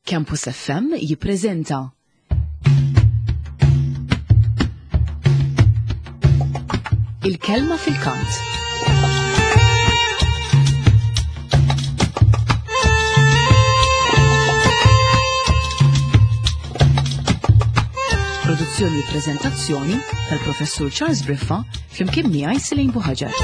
Campus FM jippreżenta Il-kelma fil-kant. Produzzjoni u prezentazzjoni tal-Professur Charles Briffa flimkien miegħi Selin Buħaġar.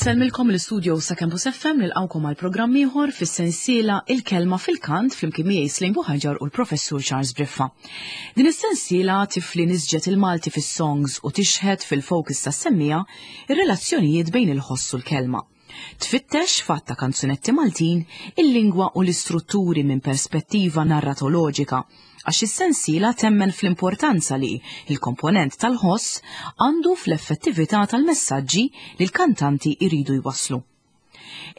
Insellmilkom l-istudio sa' Campus FM nilqawkom għal programm ieħor fis-sensiela Il-Kelma fil-Kant flimkien miegħi Slim Buħaġar u l-Professur Charles Briffa. Din is-sensiela tifli nisġet il-Malti fis-songs u tixħet fil-focus tas-semmija ir-relazzjonijiet bejn il-ħoss u l-kelma. Tfittex fatt ta' kanzunetti Maltin il-lingwa u l-istrutturi minn perspettiva narratoloġika għax is-sensiela temmen fl-importanza li l-komponent tal-ħoss għandu fl-effettività tal-messaġġi li l-kantanti jridu jwasslu.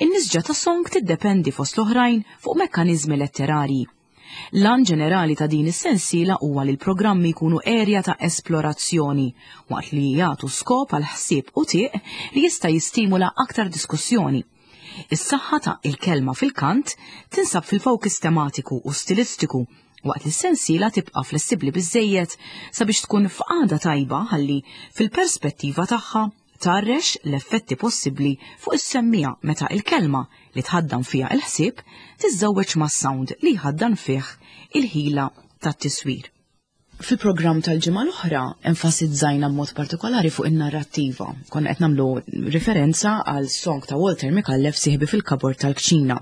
In-nisġa ta' song tiddependi fost l-oħrajn fuq mekkaniżmi letterarji. L-għan ġenerali ta' din is-sensiela huwa li l-programmi jkunu erja ta' esplorazzjoni waqt li jagħtu skop għal ħsieb u tieq li jista' jistimula aktar diskussjoni. Is-saħħa ta' il-kelma fil-kant tinsab fil-focus tematiku u stilistiku waqt li s-sensiela tibqa' flessibbli biżżejjed sabiex tkun f'qagħda tajba ħalli fil-perspettiva tagħha tgħarrex l-effetti possibbli fuq is-semmiegħa meta il-kelma li tħaddan fiha il-ħsieb tiżżewweġ mas-sound li jħaddan fih il-ħila tat-tiswir. Fil-programm tal-ġimgħa l-oħra enfasizzajna b'mod partikolari fuq in-narrattiva. Konna qed nagħmlu riferenza għal song ta' Walter Micallef Sieħbi fil-kabord tal-kċina.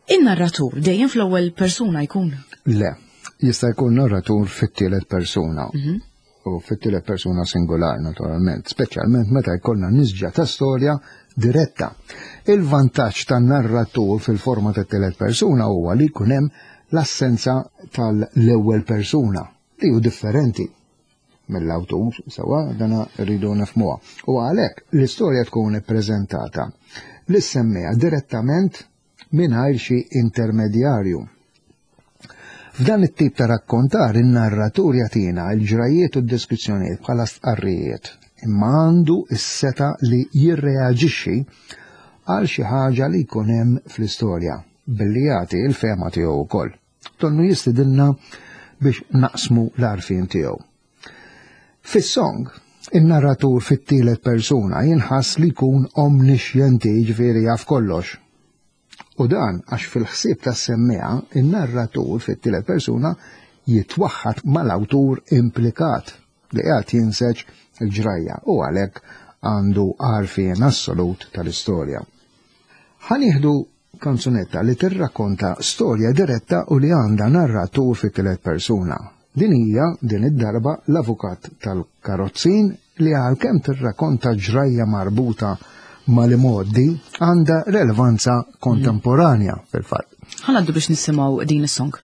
In-narratur dejjem fl-ewwel persuna jkun? Le, jista' jkun narratur fit-tielet persuna. Mhm. U fit-tielet persuna singular naturalment, speċjalment meta jkollna nisġa ta' storja diretta. Il-vantaġġ tan-narratur fil-forma ta' tielet persuna huwa li jkun hemm l-assenza tal-ewwel persuna li hu differenti mill-awtur, sewa dana rridu nifhmuha. U għalhekk l-istorja tkun ippreżentata lis-semmiegħa direttament mingħajr xi intermedjarju. F'dan it-tip ta' rakkontar in-narratur jagħtina l-ġrajjiet u d-deskrizzjonijiet bħala stqarrijiet, imma għandu s-setgħa li jirreaġixxi għal xi ħaġa li jkun hemm fl-istorja billi jagħti l-fehma tiegħu wkoll. Donnu jistidinna biex naqsmu l-għarfien tiegħu. Fis-song, in-narratur fit-tielet persuna jinħass li jkun omnixjenti, jiġifieri jaf kollox. U dan għax fil-ħsieb tas-semmiegħa, in-narratur fit-tielet persuna jitwaħħad mal-awtur implikat li qiegħed jinseġ il-ġrajja u għalhekk għandu għarfien assolut tal-istorja. Ħa nieħdu kanzunetta li tirrakkonta storja diretta u li għandha narratur fit-tielet persuna. Din hija, din id-darba, l-avukat tal-karozzin li għalkemm tirrakonta ġrajja marbuta mal-imgħoddi għandha relevanza kontemporanja fil-fatt. Ħa ngħaddu biex nisimgħu din is-song.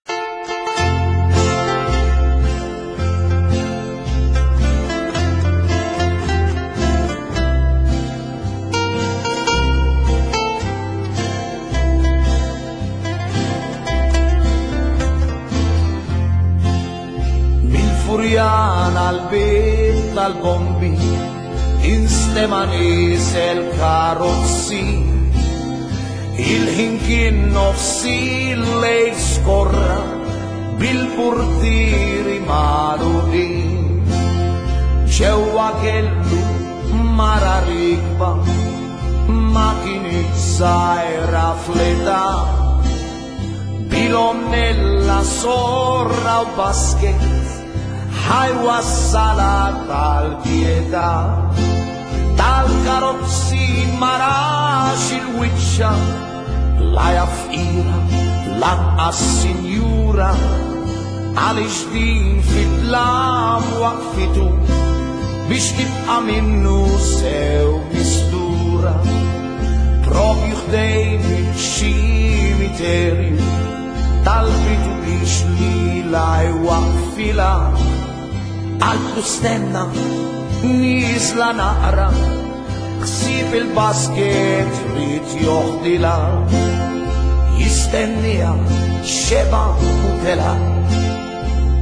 Mil-Furjana l-bib tal-bombi instema nisel karozzi Il-ħin kien nofsi lejl skorra bil-purtieri magħluqin. Ġewwa kellu mara rikba ma kinitx żgħira fl-età. Bilonnella sorra u basket ħajwassala tal-pietà. Tal-karozzi ma rax il-wiċċa la hija fqira lanqas sinjura għaliex din fid-dlam waqfitu biex tibqa' minnu sew mistura propju ħdejn iċ-ċimiterju talbitu biex lilha jwaqqfilha qaltlu stenna nieżla naqra. Ħsieb il-basket ried joħdilha Jistenniha xeba u tela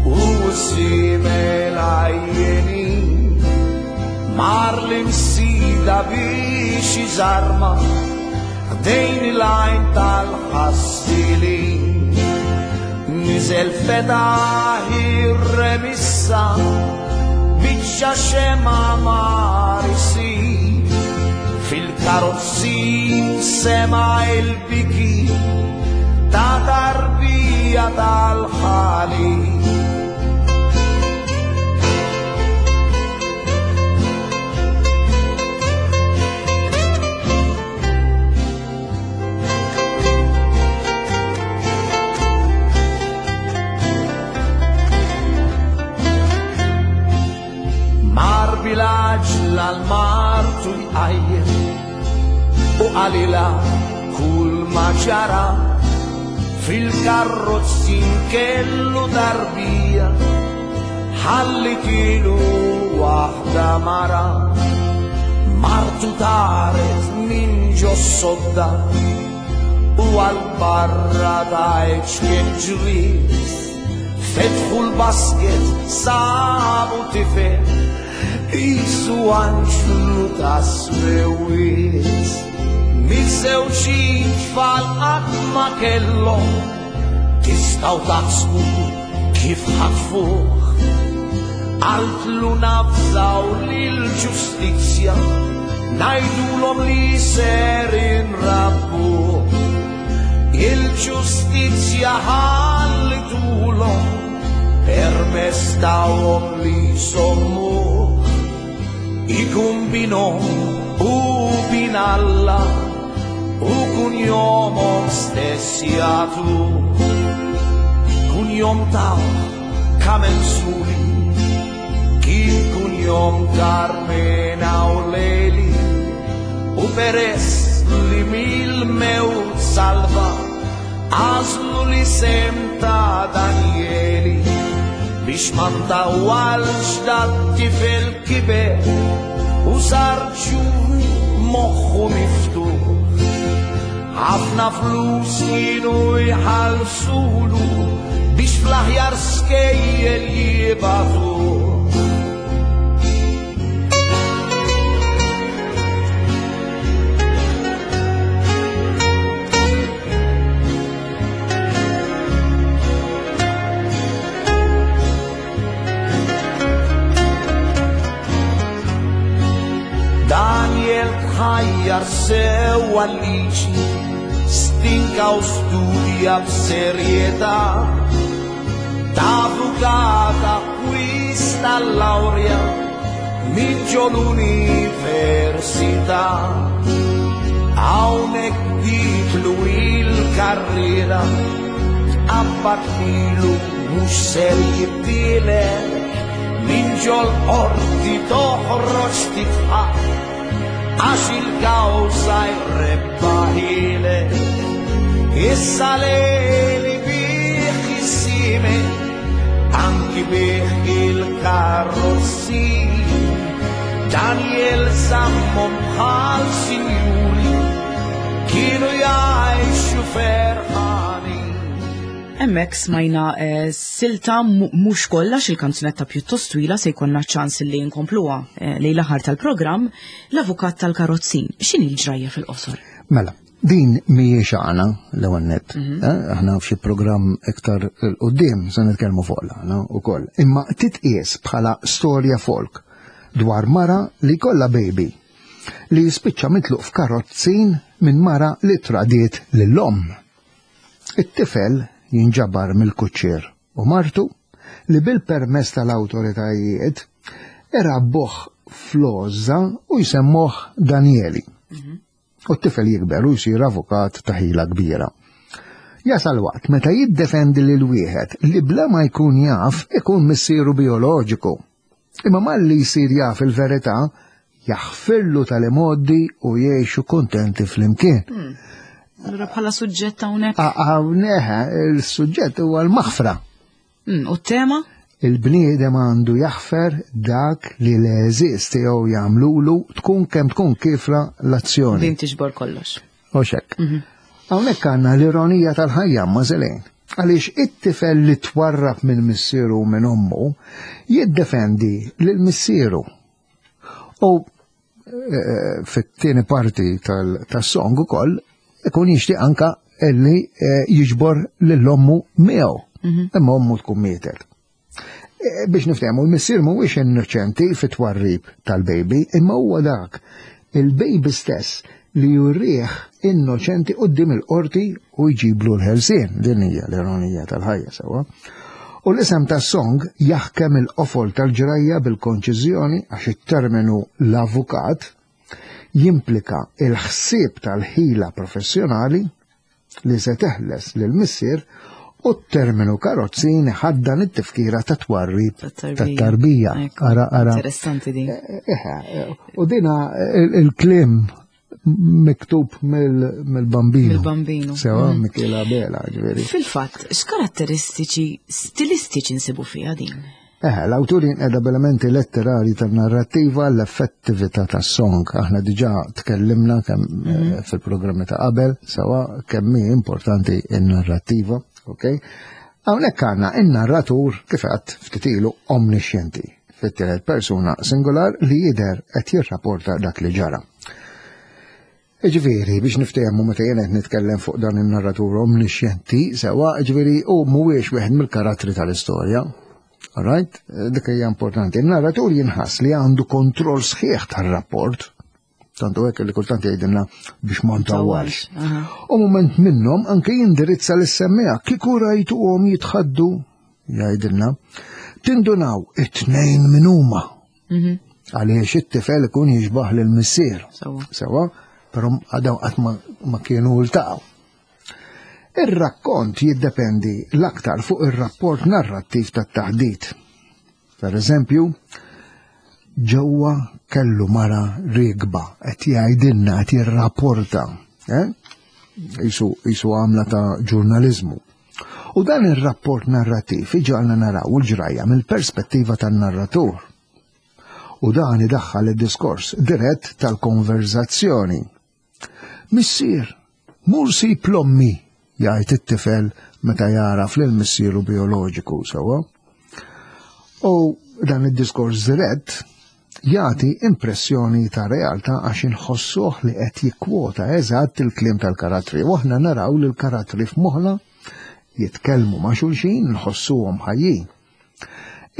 U żiemel għajjenin Mar l-imsida biex iżarma Ħdejn il-għajn tal-ħassilin Niżel fetaħ ir-remissa Biċċa xema mar isir Fil-karozzin sema il-biki Ta' tarbija tal-ħali Mar bil-għaġla l-martu jqajjem u qalilha kull ma ġara fil-karrozzin kellu tarbija ħallitilu waħda mara martu taret minn ġo sodda u għal barra tgħid x'kien ġriet Fetħu l-basket sabu tifel qisu anġlu ta' smewiet. Miż-żewġ tfal qatt ma kellhom tistgħu taħsbu kif ħatfuh. Qaltlu nafżaw lill-ġustizzja ngħidulhom li ser inrabbuh. Il-ġustizzja ħallitulhom permess tawhom li jżommuh. Ikun binhom u bin Alla u kunjomhom stess jagħtuh. Kunjom tawh Camenzuli kien kunjom Carmena u Leli u peress li mill-mewt salva għażlu l-isem ta' Danieli biex ma ntawwalx dat-tifel kiber u sar ġuvni moħħu miftuħ. Ħafna flus kienu jħallsulu biex fl-aħjar skejjel jibagħtuh. Daniel tħajjar sewwa l-liġi, stinka u studja b'serjetà. Ta' avukat akkwista l-lawrja minn ġo l-università. Hawnhekk bdietlu il-karriera, tqabbad lilu mhux ser jibdielek, minn ġol-qorti toħroġ tidħaq, għax il-kawża jrebbaħilek. Issa lejli bih is-siemer, anki bih il-karrozzi. Daniel żammhom bħal sinjuri, kienu jgħixu ferħanin. Hemmhekk smajna eh, silta mhux kollha il-kanzunetta pjuttost twila se jkollna ċans li nkompluha eh, lejn l-aħħar tal-programm l-avukat tal-karozzin. X'inhi l-ġrajja fil-qosor? Mela, din mhijiex għana l-ewwel nett. Mhm. Eh, aħna f'xi programm iktar il-qudiem se nitkellmu fuq l-għana wkoll. Imma titqies bħala storja folk dwar mara li kollha baby li jispiċċa mitluq f'karozzin minn mara li tradiet lill-omm. It-tifel jinġabar mill-kuċċier u martu li bil-permess tal-awtoritajiet irabbuh fl-għożża u jsemmuh Danieli. Mhm. U t-tifel jikber u jsir avukat ta' ħila kbira. Jasal waqt meta jiddefendi lil wieħed li bla ma jkun jaf ikun missieru bijoloġiku. Imma malli jsir jaf il-verità, jaħfirlu tal-imgħoddi u jgħixu kuntenti flimkien. Hmm. Allura bħala suġġett hawnhekk? Hawnhekk il-suġġett huwa l-maħfra. Hmm, u t-tema? Il-bniedem għandu jaħfer dak li l-għeżież tiegħu jagħmlulu tkun kemm tkun kifra l-azzjoni. Din tiġbor kollox. U xek. Mhm. Hawnhekk għandna l-ironija tal-ħajja ma' Zelejn. Għaliex it-tifel li twarrab minn missieru u minn ommu jiddefendi lil missieru. U eh, fit-tieni parti tas-song ukoll ikun jixtieq anka illi eh, jiġbor lil ommu miegħu. Mhm. Imma ommu tkun mietet. Eh, biex niftehmu, il-missier mhuwiex innoċenti fit-twarrib tal-baby, imma huwa dak il-baby stess li jurriħ innoċenti qudiem il-qorti u jġiblu l-ħelsien. Din hija l-ironija tal-ħajja sewwa. U l-isem tas-song jaħkem il-qofol tal-ġrajja bil-konċiżjoni għax it-terminu l-avukat jimplika il-ħsieb tal-ħila professjonali li se teħles lil missier u t-terminu karozzin ħaddan it-tifkira ta' twarrib tat-tarbija. Ara, ara. Interessanti din. Eh, eh, eh, u dina il-klim miktub mill-bambino. Mill-bambino. Sewa, mm. Michela Bela, ġveri. Fil-fatt, x'karatteristiċi stilistiċi nsibu fiha din? Eh, l-awtur jinqeda b'elementi letterari tan-narrattiva l-effettività tas-song. Aħna diġà tkellimna kemm eh, mhm. fil-programmi ta' qabel, sewa kemm hi importanti n-narrattiva, ok? Hawnhekk għandna in-narratur kif għedt ftit ilu omnixjenti fit-tielet persuna singular li jidher qed jirrapporta dak li ġara. Ġifieri, biex niftehmu meta jien qed nitkellem fuq dan in-narratur omnixjenti, sewa, ġifieri hu mhuwiex wieħed mill-karattri tal-istorja. Alright? Dik hija importanti. Il-narratur jinħass li għandu kontroll sħiħ tar-rapport. Tantu hekk li kultant jgħidilna biex ma ntawwalx. U moment minnhom anke jindirizza lis-semmija kieku rajtuhom jitħaddu jgħidilna tindunaw it-tnejn minn huma. Mhm. Għaliex it-tifel ikun jixbaħ lil missier. Sewa, però għadaw qatt ma kienu ltaqgħu. Ir-rakkont jiddependi l-aktar fuq ir-rapport narrattiv tat-taħdit. Per eżempju, ġewwa kellu mara rigba qed jgħidilna qed jirrapporta, eh? Isu għamla ta' ġurnaliżmu. U dan ir-rapport narrattiv iġagħalna naraw il-ġrajja mill-perspettiva tan-narratur. U dan idaħħal id-diskors dirett tal-konverzazzjoni. Missier, mur sib l-ommi, jgħid it-tifel meta jaraf lil missieru bioloġiku sewwa. U dan id-diskors dirett jagħti impressjoni ta' realtà għax inħossuh li qed jikkwota eżatt il-kliem tal-karattri. U aħna naraw li l-karattri f'moħħna jitkellmu ma' xulxin, nħossuhom ħajjin.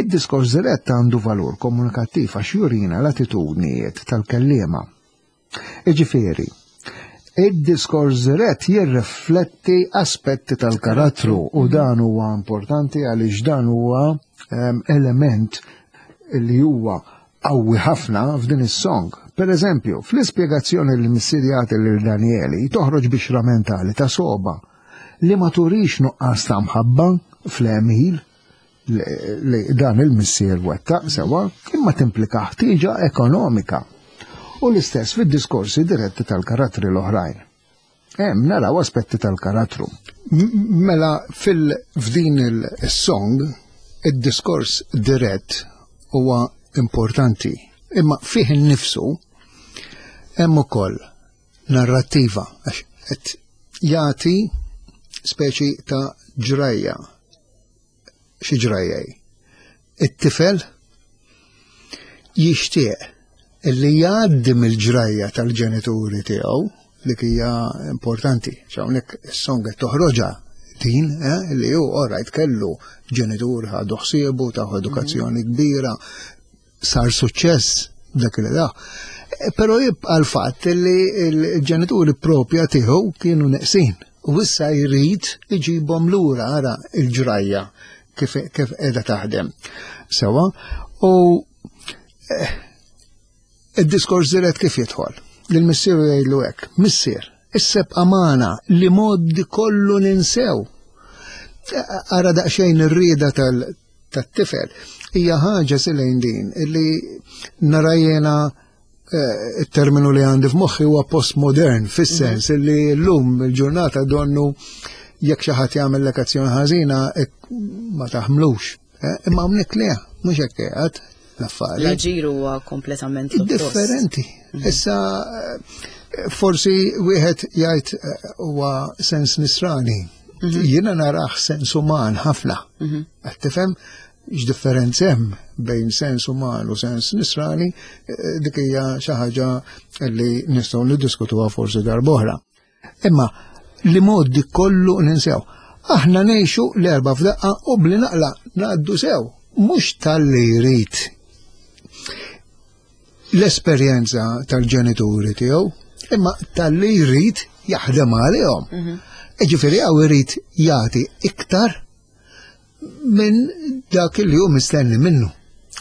Id-diskors dirett għandu valur komunikattiv għax jurina l-attitudnijiet tal-kelliema. Iġifieri, id-diskors dirett jirrifletti aspetti tal-karattru u dan huwa importanti għaliex dan huwa ehm, element li huwa qawwi ħafna f'din is-song. Per eżempju, fl-ispjegazzjoni li missier jagħti lil Danieli toħroġ bixra mentali ta' soba li ma turix nuqqas ta' mħabba fl-għemil li dan il-missier wettaq sewa, imma timplika ħtieġa ekonomika. U l-istess fid-diskorsi diretti tal-karattri l-oħrajn. Hemm naraw aspetti tal-karattru. Mela fil-f'din il-song, id-diskors dirett huwa importanti, imma fih innifsu hemm ukoll narrattiva għax qed jagħti speċi ta' ġrajja xi ġrajjej. It-tifel jixtieq illi jgħaddi mill-ġrajja tal-ġenituri tiegħu li hija importanti. Hawnhekk is-song qed toħroġha din eh, li hu orajt kellu ġenitur ħadu ħsiebu ta' edukazzjoni mhm. kbira, sar suċċess dak li da. Eh, però jibqa' l-fatt li l-ġenituri propja tiegħu kienu neqsin. U issa jrid iġibhom lura ara il-ġrajja kif kif qiegħda taħdem. Sewa, u eh, id-diskors dirett kif jidħol. Lil-missieru jgħidlu hekk, missier, isseb amana li moddi kollu ninsew. Eh, ara daqsxejn ir-rieda tal tat-tifel hija ħaġa silejn din illi nara jiena eh, it-terminu li għandi f'moħħi huwa postmodern fis-sens mhm. illi llum il-ġurnata donnu jekk xi ħadd jagħmel azzjoni ħażina ma taħmlux. Eh, imma hawnhekk le, mhux hekk qiegħed l-affari. L-aġir huwa kompletament differenti. Mhm. Issa eh, forsi wieħed jgħid eh, huwa sens nisrani. Mhm. Jiena narah sens uman ħafna. Mhm. Qed tifhem x'differenza hemm bejn sens uman u sens nisrani, dik hija xi ħaġa li nistgħu niddiskutuha forsi darb'oħra. Imma li moddi kollu ninsew. Aħna ngħixu l-erba f'daqqa u bli naqla ngħaddu sew, mhux talli jrid l-esperjenza tal-ġenituri tiegħu, imma talli jrid jaħdem għalihom. Mhm. Ġifieri hawn irid jagħti iktar minn dak li hu mistenni minnu.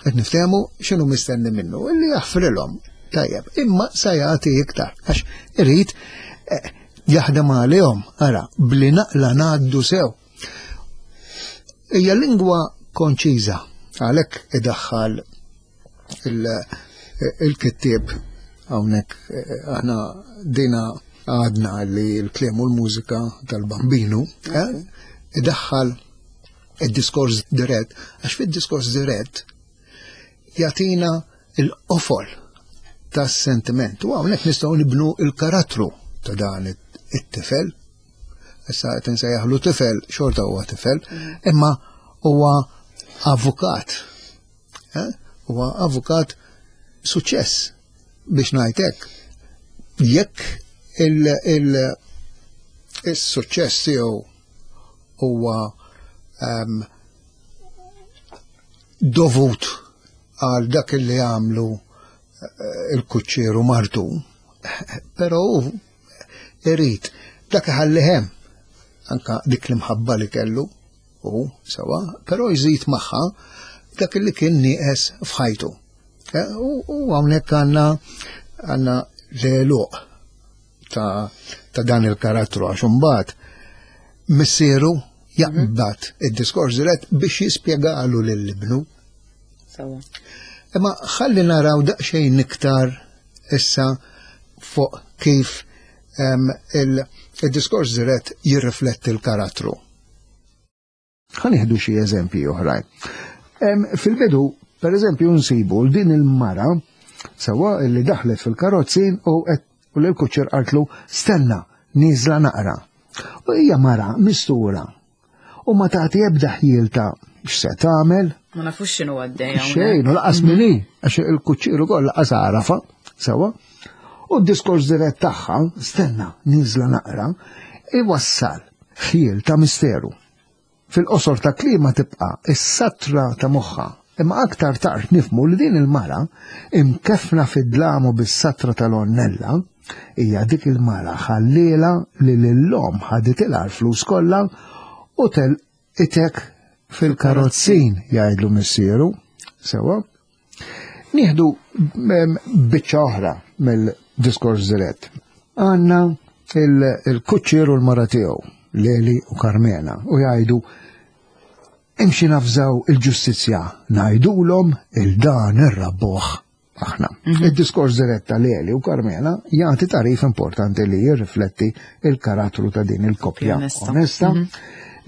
Qed niftehmu x'inhu mistenni minnu, illi jaħfrilhom. Tajjeb, imma sa jagħti iktar għax irid eh, jaħdem għalihom, ara, bli naqla ngħaddu sew. Hija lingwa konċiża, għalhekk idaħħal il-kittieb hawnhekk eh, aħna dina għadna li l-kliem u l-mużika tal-bambinu eh, idaħħal id-diskors dirett, għax fid-diskors dirett jatina il-qofol tas-sentiment. U hawnhekk nistgħu nibnu il-karattru ta' dan it-tifel. Issa qed insejjaħlu tifel, xorta huwa tifel, mm. imma huwa avukat. Eh? Huwa avukat suċċess biex ngħid hekk. Jekk il-suċċess tiegħu huwa ehm, dovut għal dak li għamlu eh, il-kuċċieru martu, però irid dak iħalli hemm anka dik l-imħabba li kellu u sewa, però jżid magħha dak li kien nieqes f'ħajtu. Eh, u hawnhekk għandna għandna l-għeluq ta', ta dan il-karattru għax imbagħad missieru jaqbad mhm. id-diskors dirett biex jispjegalu lil ibnu. Imma ħalli naraw daqsxejn iktar issa fuq kif il-diskors dirett jirrifletti l-karattru. Ħa nieħdu xi eżempji oħrajn. Fil-bidu, per eżempju, nsibu din il-mara sewa li daħlet fil-karozzin u u l-kuċċer qaltlu stenna, nieżla naqra. U hija mara mistura u ma tagħti ebda ħjiel ta' x'se tagħmel. Ma nafux x'inhu għaddej. Xejn, u laqas mhm. minni, għax il-kuċċieru ukoll laqas għarafa, sewa. U d-diskors dirett tagħha, stenna, nieżla naqra, iwassal ħjiel ta' misteru. Fil-qosor ta' kliema tibqa' is-satra ta' moħħha, imma aktar tard nifhmu li din il-mara, imkeffna fid-dlam u bis-satra tal-għonnella, hija dik il-mara ħalliela li lill-omm ħaditilha l-flus kollha u telqitek fil-karozzin, jgħidlu missieru. Sewwa? Nieħdu biċċa oħra mill-diskors dirett. Għandna il-kuċċier u l-mara tiegħu, Leli u Karmena, u jgħidu imxi nafżaw il-ġustizzja, ngħidulhom il-dan irrabbuh aħna. Mhm. Il-diskors dirett ta' Leli u Karmena jagħti tarif importanti li jirrifletti il-karattru ta' din il-koppja onesta. Mhm.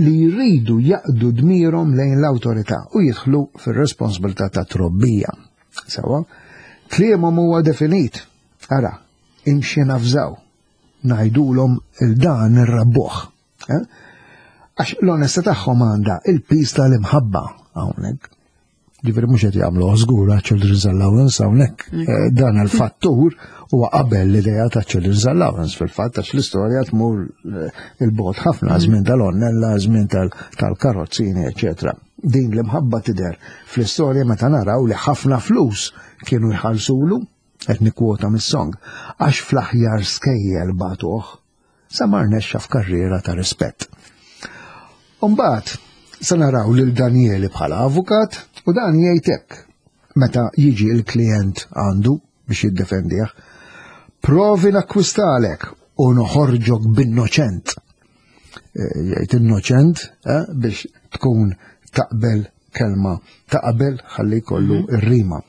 Li jridu jaqdu dmirhom lejn l-awtorità u jidħlu fir-responsabilità ta' trobbija. Sewa, kliemhom huwa definit. Ara, imxi nafżaw, ngħidulhom il-dan irrabbuh. Eh? Għax l-onesta tagħhom għandha il-piż tal-imħabba hawnhekk. Ġifieri mhux qed jagħmlu żgur Children's Allowance hawnhekk. Mm. Eh, dan il-fattur huwa qabel l-idea ta' Children's Allowance fil-fatt għax l-istorja tmur eh, il-bot ħafna mm. żmien tal-onnella, żmien tal-karozzini, eċetera. Din l-imħabba tidher fl-istorja meta naraw li ħafna flus kienu jħallsulu qed nikkwota mis-song għax fl-aħjar skejjel batuh sa ma rnexxa f'karriera ta' rispett. Umbagħad se naraw lil Danieli bħala avukat u dan jgħid hekk meta jiġi l-klijent għandu biex jiddefendih. Provi nakkwistalek u noħorġok b'innoċent. Eh, jgħid innoċent eh, biex tkun taqbel kelma ta' qabel ħalli jkollu mhm. ir-rima.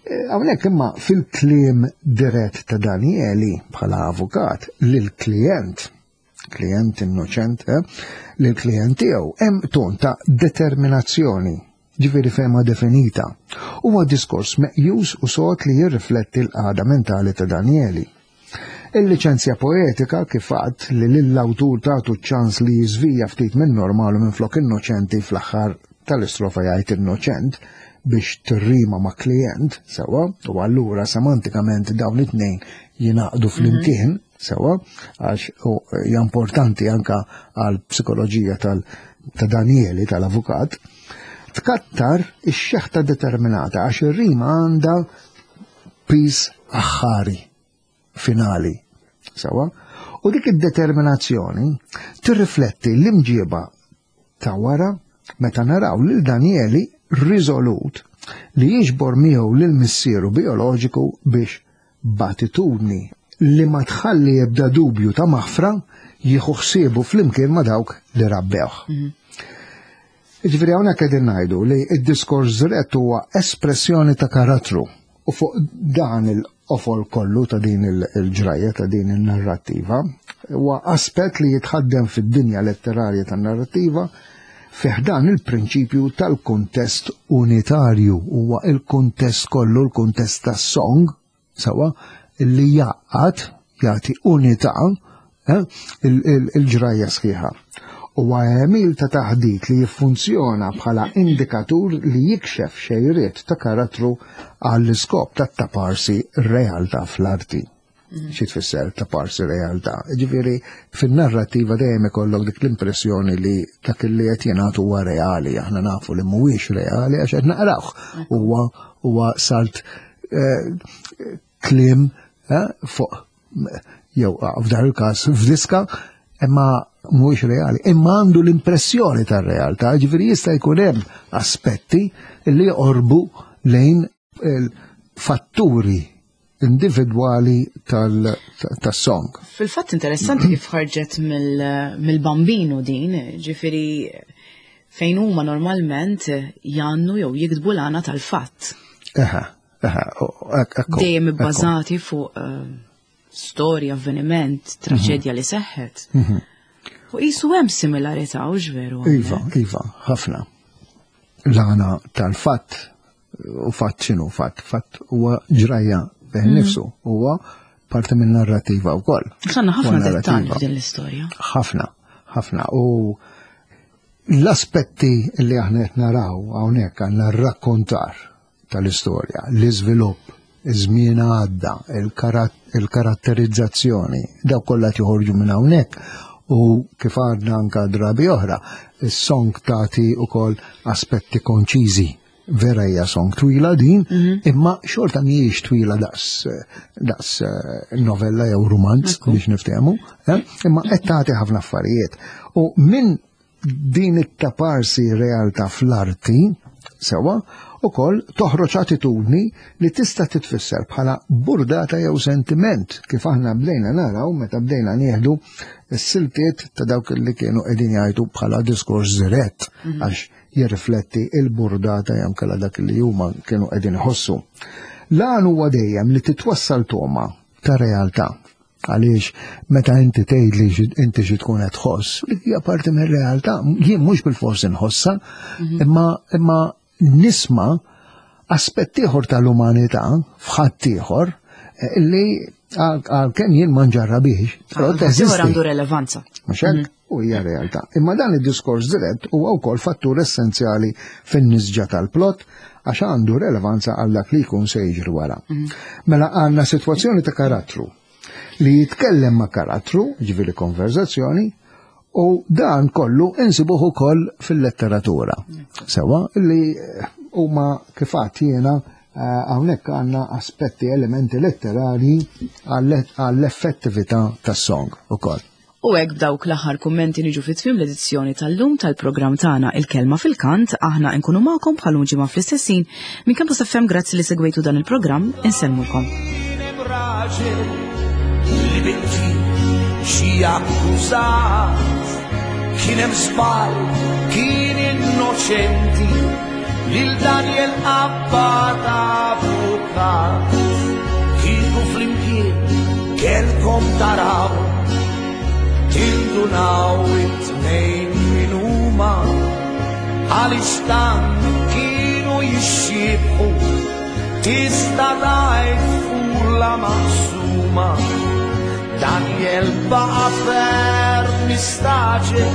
Eh, hawnhekk imma fil-kliem dirett ta' Danieli bħala avukat lil-klient, klient innoċent, eh, lil-klient tiegħu hemm ton ta' determinazzjoni. Ġifieri fehma definita. Huwa diskors meqjus u sod li jirrifletti l-qagħda mentali ta' Danieli. Il-liċenzja poetika kif għadt li lill-awtur tagħtu ċ-ċans li jiżvija ftit minn normal u minflok innoċenti fl-aħħar tal-istrofa jgħid innoċent biex tirrima ma' klijent, sewwa, u allura semantikament dawn it-tnejn jingħaqdu flimkien, sewwa, għax hija importanti anka għal psikoloġija tal ta' Danieli tal-avukat, tkattar ix-xeħta determinata għax ir-rima għandha piż aħħari finali. Sewwa? U dik id-determinazzjoni tirrifletti l-imġieba ta' wara meta naraw lil Danieli riżolut li jiġbor miegħu lil missieru bijoloġiku biex b'attitudni li ma tħalli ebda dubju ta' maħfra jieħu ħsiebu flimkien ma' dawk li rabbewh. Jiġifieri hawnhekk qegħdin ngħidu li d-diskors dirett huwa espressjoni ta' karattru u fuq dan il-qofol kollu ta' din il-ġrajja ta' din in-narrattiva huwa aspett li jitħaddem fid-dinja letterarja tan-narrattiva fi ħdan il-prinċipju tal-kuntest unitarju huwa il-kuntest kollu l-kuntest tas-song Sewwa, li jgħaqqad, jagħti unità eh, il-ġrajja sħiħa. Huwa għemil ta' taħdit li jiffunzjona bħala indikatur li jikxef xejriet ta' karattru għall-iskop ta' taparsi realtà fl-arti. Xi tfisser taparsi realtà? Ġifieri fin-narrattiva dejjem ikollok dik l-impressjoni li dak li qed jingħad huwa reali, aħna nafu li mhuwiex reali għax qed naqrawh. Huwa huwa salt eh, kliem eh, fuq jew ah, f'dan il-każ f'diska imma mhuwiex reali, imma għandu l-impressjoni tar-realtà, ġifieri jista' jkun hemm aspetti li jorbu lejn il-fatturi individwali tas-song. Fil-fatt interessanti kif ħarġet mill-bambinu din, ġifieri fejn huma normalment jannu jew jiktbu l-għana tal-fatt. Eħe, eħe, ekku. Dejjem ibbażati fuq eh, storja, avveniment, traċedja li seħħet. Mhm. U qisu hemm similarità u veru. Iva, iva, ħafna. L-għana tal-fatt u fatt x'inhu fatt? Fatt huwa ġrajja bih mhm. nifsu, huwa parti minn narrativa wkoll. Sanna ħafna dettalji f'din l-istorja. Ħafna, ħafna. U L-aspetti li aħna qed naraw hawnhekk għandna r-rakkontar tal-istorja, l-iżvilupp, iż-żmien għadda, il-karatterizzazzjoni, dawk kollha qed joħorġu minn hawnhekk u kif għadna anka drabi oħra, is-song tagħti wkoll aspetti konċiżi. Vera hija song twila din, mhm. imma xorta mhijiex twila daqs daqs eh, novella jew rumanz biex niftehmu, eh? imma qed tagħti ħafna affarijiet. U minn din it-taparsi realtà fl-arti, sewa, ukoll toħroġ attitudni li tista' titfisser bħala burdata jew sentiment kif aħna bdejna naraw meta bdejna nieħdu s-siltiet ta' dawk li kienu qegħdin jgħidu bħala diskors dirett mhm. għax jirrifletti il-burdata jew kella dak li huma kienu qegħdin iħossu. L-għan huwa dejjem li titwassal toma ta' realtà. Għaliex meta inti tgħid li inti xi tkun qed tħoss, hija parti mir-realtà. Jien mhux bil-fors inħossha, mhm. imma imma nisma' aspett ieħor tal-umanità f'ħadd ieħor eh, li għalkemm jien ma nġarrabiex, però teżisti. għandu relevanza. Mhux hekk? Mhm. U hija realtà. Imma dan id-diskors dirett huwa wkoll fattur essenzjali fin-nisġa tal-plot għax għandu relevanza għal dak li jkun se jiġri wara. Mhm. Mela għandna sitwazzjoni ta' karattru li jitkellem ma' karattru, ġifieri konverzazzjoni, u dan kollu insibuh ukoll fil-letteratura. Sewa li huma kif għadt jiena eh, hawnhekk għandna aspetti elementi letterari għall-effettività tas-song ukoll. U hekk b'dawk l-aħħar kummenti niġu fi tmiem l-edizzjoni tal-lum tal-programm tagħna Il-Kelma fil-Kant, aħna nkunu magħkom bħal ġimgħa fl-istess ħin minn Campus FM grazzi li segwejtu dan il-programm insellmulkom. Li binti xi akkużat kien hemm żball kien innoċenti lil Daniel Abbat avukat kieku flimkien kelkom taraw tindunaw it-tnejn min huma għaliex tant kien jixxiebħu, tista' tgħid fula maqsuma. Daniel baqa' ferm mistagħġeb,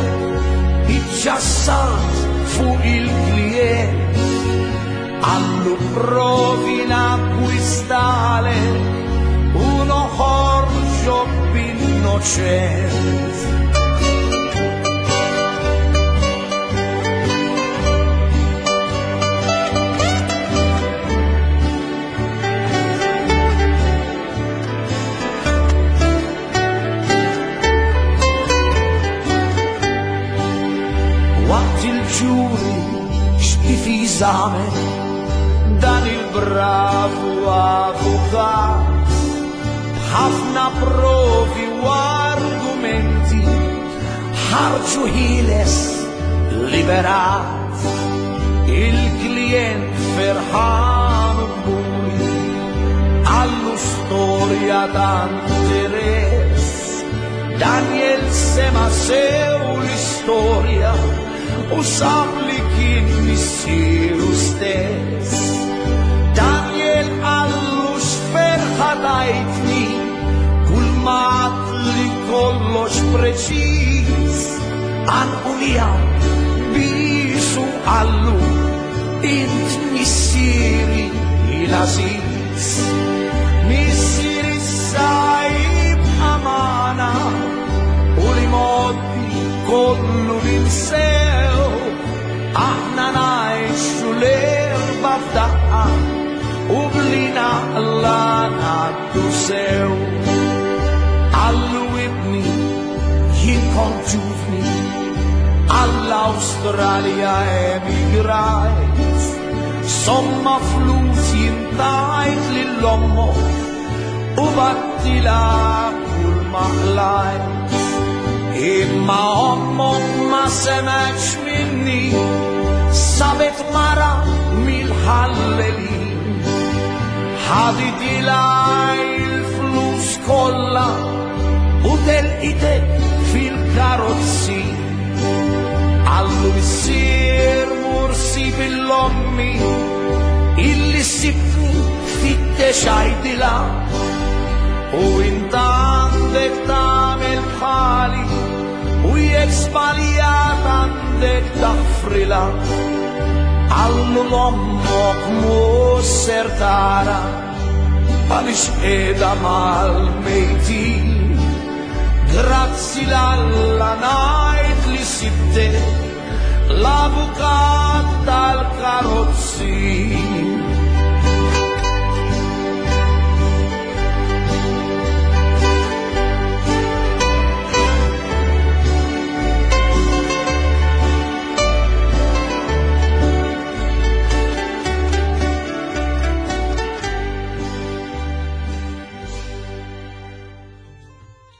iċċassat fuq il-klijent. Qallu provi nakkwistale u noħorġok b'innoċent. Waqt il-ġuri x'difiża għamel dan il-bravu avukat, b'ħafna provi u argumenti ħarġu ħieles liberat. Il-klijent ferħan u kburi qallu storja ta' interess. Daniel sema' sew l-istorja u sab li kien missieru stess. Daniel qallu x'ferħa tajtni kull ma għadtli kollox preċiż. Għannqu miegħu biesu qallu int missieri l-għażiż. Missieri issa jibqa' magħna u l-imgħoddi kollu ninsew. Aħna ngħixu l-erba' f'daqqa u bli naqla ngħaddu sew. Qallu ibni jien kont ġuvni għall-Awstralja emigrajt. Somma flus jien tajt lil ommok u battilha kull ma qlajt. Imma ommok ma semgħetx minni, sabet mara mill-ħallelin. Ħaditilha il-flus kollha u telqitek fil-karozzi. Qallu missier mur sib il-ommi illi sibtni fittex għidilha. U int għandek tagħmel bħali u jekk żbaljat għandek taħfrilha. Qallu l-ommok mhux ser tara għaliex qiegħda mal-mejtin. Grazzi l-Alla ngħid li sibtek l-avukat tal-karozzi.